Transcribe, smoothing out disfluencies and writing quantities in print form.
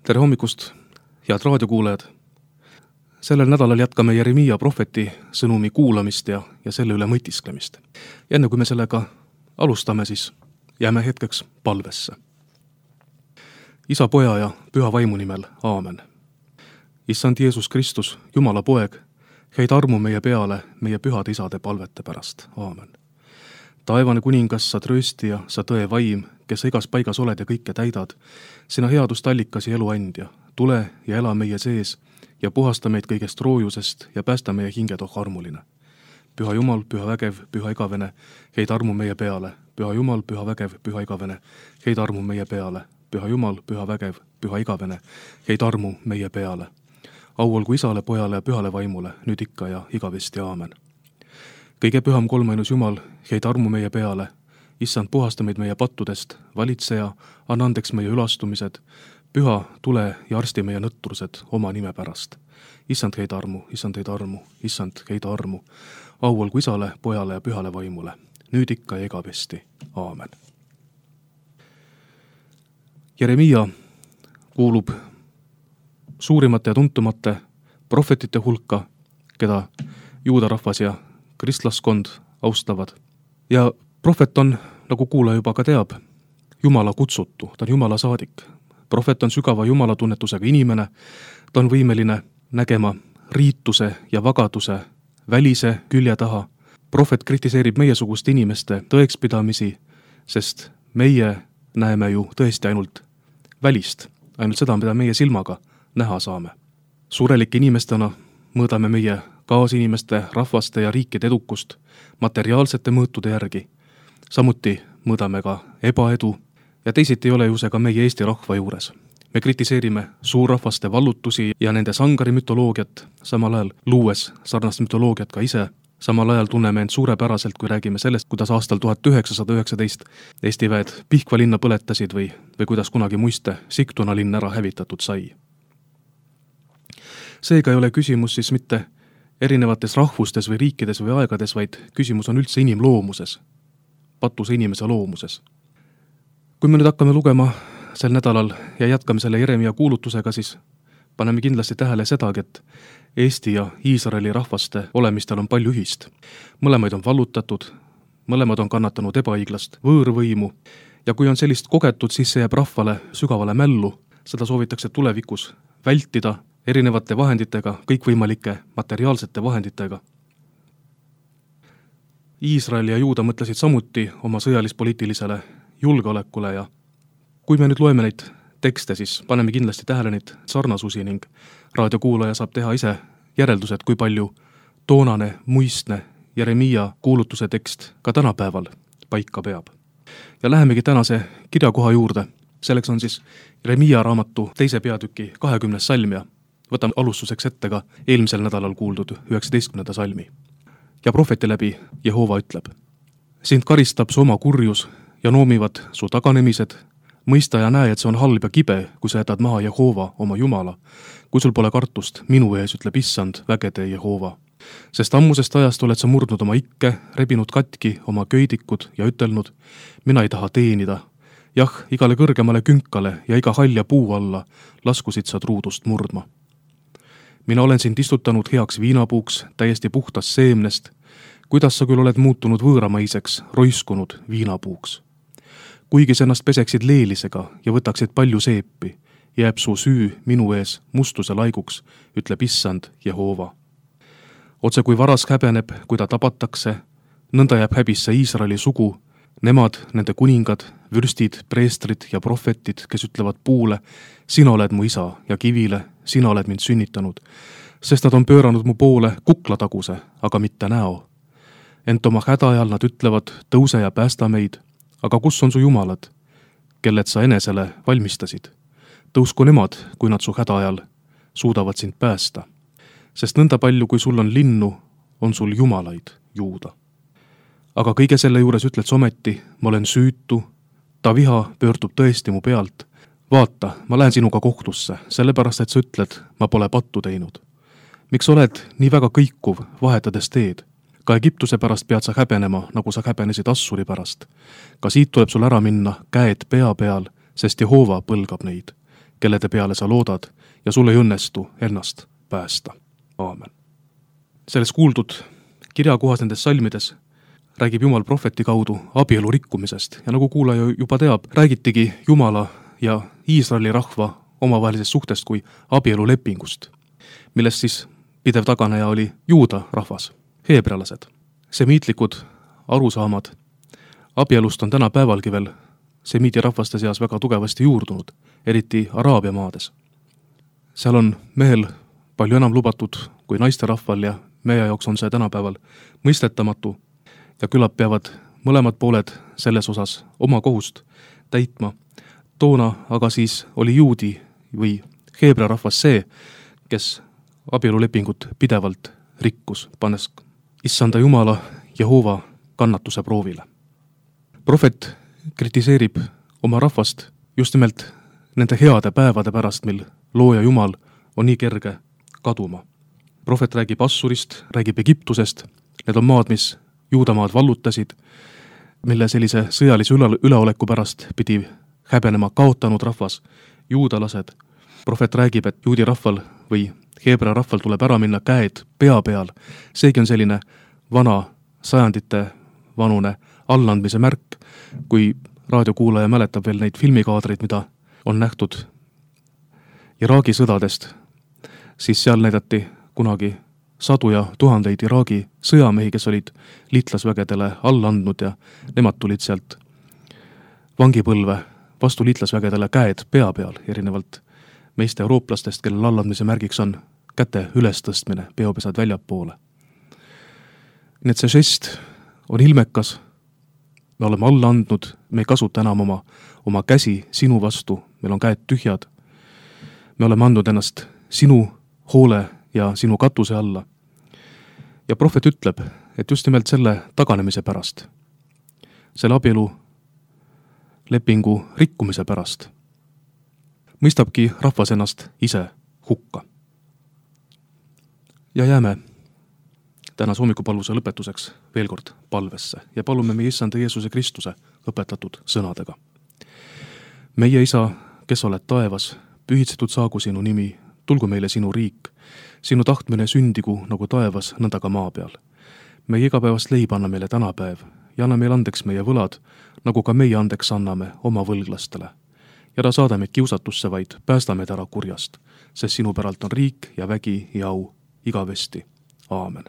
Tere hommikust, head raadiokuulajad! Sellel nädalal jätkame Jeremiia prohveti sõnumi kuulamist ja selle üle mõtisklemist. Ja enne kui me sellega alustame, siis jääme hetkeks palvesse. Isa, Poja ja Püha Vaimu nimel, aamen. Issand Jeesus Kristus, Jumala poeg, häid armu meie peale meie pühade isade palvete pärast, aamen. Taevane kuningas, sa trööstija, sa tõe vaim, kes sa igas paigas oled ja kõike täidad, sina headust allikas ja eluandja, tule ja ela meie sees ja puhasta meid kõigest roojusest ja päästa meie hinged, oh armuline. Püha Jumal, püha vägev, püha igavene, heid armu meie peale. Püha Jumal, püha vägev, püha igavene, heid armu meie peale. Püha Jumal, püha vägev, püha igavene, heid armu meie peale. Au olgu Isale, Pojale ja Pühale Vaimule, nüüd ikka ja igavesti, aamen. Kõige püham kolmainus Jumal, heid armu meie peale. Issand, puhasta meid meie pattudest, valitseja, anna andeks meie ülastumised, püha, tule ja arsti meie nõttrused oma nime pärast. Issand, heid armu, issand, heid armu, issand, heid armu. Au olgu Isale, Pojale ja Pühale Vaimule, nüüd ikka ja igavesti, aamen. Jeremiia kuulub suurimate ja tuntumate prohvetite hulka, keda juuda rahvas ja kristlaskond austavad. Ja prohvet on, nagu kuulaja juba ka teab, Jumala kutsutu, ta on Jumala saadik. Prohvet on sügava jumalatunnetusega inimene, ta on võimeline nägema riituse ja vagaduse välise külje taha. Prohvet kritiseerib meiesugust inimeste tõekspidamisi, sest meie näeme ju tõesti ainult välist, ainult seda, mida meie silmaga näha saame. Surelike inimestena mõõdame meie kaasinimeste, rahvaste ja riikide edukust materiaalsete mõõtude järgi. Samuti mõõdame ka ebaedu ja teisiti ei ole ju see ka meie Eesti rahva juures. Me kritiseerime suurrahvaste vallutusi ja nende sangari mütoloogiat, samal ajal luues sarnast mütoloogiat ka ise. Samal ajal tunneme end suurepäraselt, kui räägime sellest, kuidas aastal 1919 Eesti väed Pihkva linna põletasid või kuidas kunagi muiste Sigtuna linn ära hävitatud sai. Seega ei ole küsimus siis mitte erinevates rahvustes või riikides või aegades, vaid küsimus on üldse inimloomuses, patuse inimese loomuses. Kui me nüüd hakkame lugema sel nädalal ja jätkame selle Jeremiia kuulutusega, siis paneme kindlasti tähele sedagi, et Eesti ja Iisraeli rahvaste olemistel on palju ühist. Mõlemaid on vallutatud, mõlemad on kannatanud ebaõiglast võõrvõimu ja kui on sellist kogetud, siis see jääb rahvale sügavale mällu. Seda soovitakse tulevikus vältida erinevate vahenditega, kõikvõimalike materiaalsete vahenditega. Iisrael ja Juuda mõtlesid samuti oma sõjalis-poliitilisele julgeolekule ja kui me nüüd loeme neid tekste, siis paneme kindlasti tähele neid sarnasusi ning raadiokuulaja saab teha ise järeldused, kui palju toonane muistne Jeremiia kuulutuse tekst ka tänapäeval paika peab. Ja lähemegi tänase kirjakoha juurde. Selleks on siis Jeremiia raamatu 2. peatüki 20. salm ja võtan alustuseks ette ka eelmisel nädalal kuuldud 19. salmi. Ja prohveti läbi Jehova ütleb: sind karistab su oma kurjus ja noomivad su taganemised. Mõista ja näe, et see on halb ja kibe, kui sa jätad maha Jehova oma Jumala. Kui sul pole kartust minu ees, ütleb Issand, vägede Jehova. Sest ammusest ajast oled sa murdnud oma ikke, rebinud katki oma köidikud ja ütelnud: mina ei taha teenida. Jah, igale kõrgemale künkale ja iga halja puu alla laskusid sa truudust murdma. Mina olen sind istutanud heaks viinapuuks, täiesti puhtast seemnest. Kuidas sa küll oled muutunud võõramaiseks, roiskunud viinapuuks? Kuigi sa ennast peseksid leelisega ja võtaksid palju seepi, jääb su süü minu ees mustuse laiguks, ütleb Issand Jehova. Otse kui varas häbeneb, kui ta tabatakse, nõnda jääb häbisse Iisraeli sugu, nemad, nende kuningad, vürstid, preestrid ja prohvetid, kes ütlevad puule: sina oled mu isa, ja kivile: sina oled mind sünnitanud, sest nad on pööranud mu poole kuklataguse, aga mitte näo. Ent oma häda ajal nad ütlevad: tõuse ja päästa meid. Aga kus on su jumalad, kelled sa enesele valmistasid? Tõusku nemad, kui nad su häda ajal suudavad sind päästa. Sest nõnda palju, kui sul on linnu, on sul jumalaid, Juuda. Aga kõige selle juures ütled sa ometi: ma olen süütu, ta viha pöördub tõesti mu pealt. Vaata, ma lähen sinuga kohtusse, sellepärast, et sa ütled: ma pole pattu teinud. Miks oled nii väga kõikuv, vahetades teed? Ka Egiptuse pärast pead sa häbenema, nagu sa häbenesid Assuri pärast. Ka siit tuleb sul ära minna, käed pea peal, sest Jehova põlgab neid. kellede peale sa loodad ja sul ei õnnestu ennast päästa. Aamen. Selles kuuldud kirjakohas nendes salmides räägib Jumal prohveti kaudu abielu rikkumisest ja nagu kuulaja juba teab, räägitigi Jumala ja Iisraeli rahva omavahelisest suhtest kui abielulepingust, millest siis pidev taganeja oli juuda rahvas, heebrealased. Semiitlikud arusaamad abielust on tänapäevalgi veel semiidi rahvaste seas väga tugevasti juurdunud, eriti Araabia maades. Seal on mehel palju enam lubatud kui naisterahval ja meie jaoks on see tänapäeval mõistetamatu ja küllap peavad mõlemad pooled selles osas oma kohust täitma. Toona aga siis oli juudi või heebrea rahvas see, kes abielulepingut pidevalt rikkus, pannes issanda Jumala Jehova kannatuse proovile. Prohvet kritiseerib oma rahvast just nimelt nende heade päevade pärast, mil looja Jumal on nii kerge kaduma. Prohvet räägib Assurist, räägib Egiptusest, need on maad, mis juudamaad vallutasid, mille sellise sõjalise üleoleku pärast pidi häbenema kaotanud rahvas, juudalased. Prohvet räägib, et juudi rahval või heebrea rahval tuleb ära minna käed pea peal. Seegi on selline vana sajandite vanune allandmise märk, kui raadiokuulaja mäletab veel neid filmikaadreid, mida on nähtud Iraagi sõdadest, siis seal näidati kunagi sadu ja tuhandeid Iraagi sõjamehi, kes olid liitlasvägedele alla andnud ja nemad tulid sealt vangipõlve vastu liitlasvägedele käed pea peal, erinevalt meist eurooplastest, kellel allandmise märgiks on käte ülestõstmine, peopesad väljapoole. Nii et see žest on ilmekas, me oleme alla andnud, me ei kasuta enam oma käsi sinu vastu, meil on käed tühjad, me oleme andnud ennast sinu hoole ja sinu katuse alla. Ja prohvet ütleb, et just nimelt selle taganemise pärast, selle abielu lepingu rikkumise pärast, mõistabki rahvas ennast ise hukka. Ja jääme tänase hommikupalvuse lõpetuseks veel kord palvesse ja palume meie issanda Jeesuse Kristuse õpetatud sõnadega. Meie isa, kes oled taevas, pühitsetud saagu sinu nimi, tulgu meile sinu riik, sinu tahtmine sündigu nagu taevas, nõnda ka maa peal. Meie igapäevast leib anna meile tänapäev ja anna meile andeks meie võlad, nagu ka meie andeks anname oma võlglastele. Ja ta saada meid kiusatusse, vaid päästa meid ära kurjast, sest sinu päralt on riik ja vägi ja au igavesti. Aamen.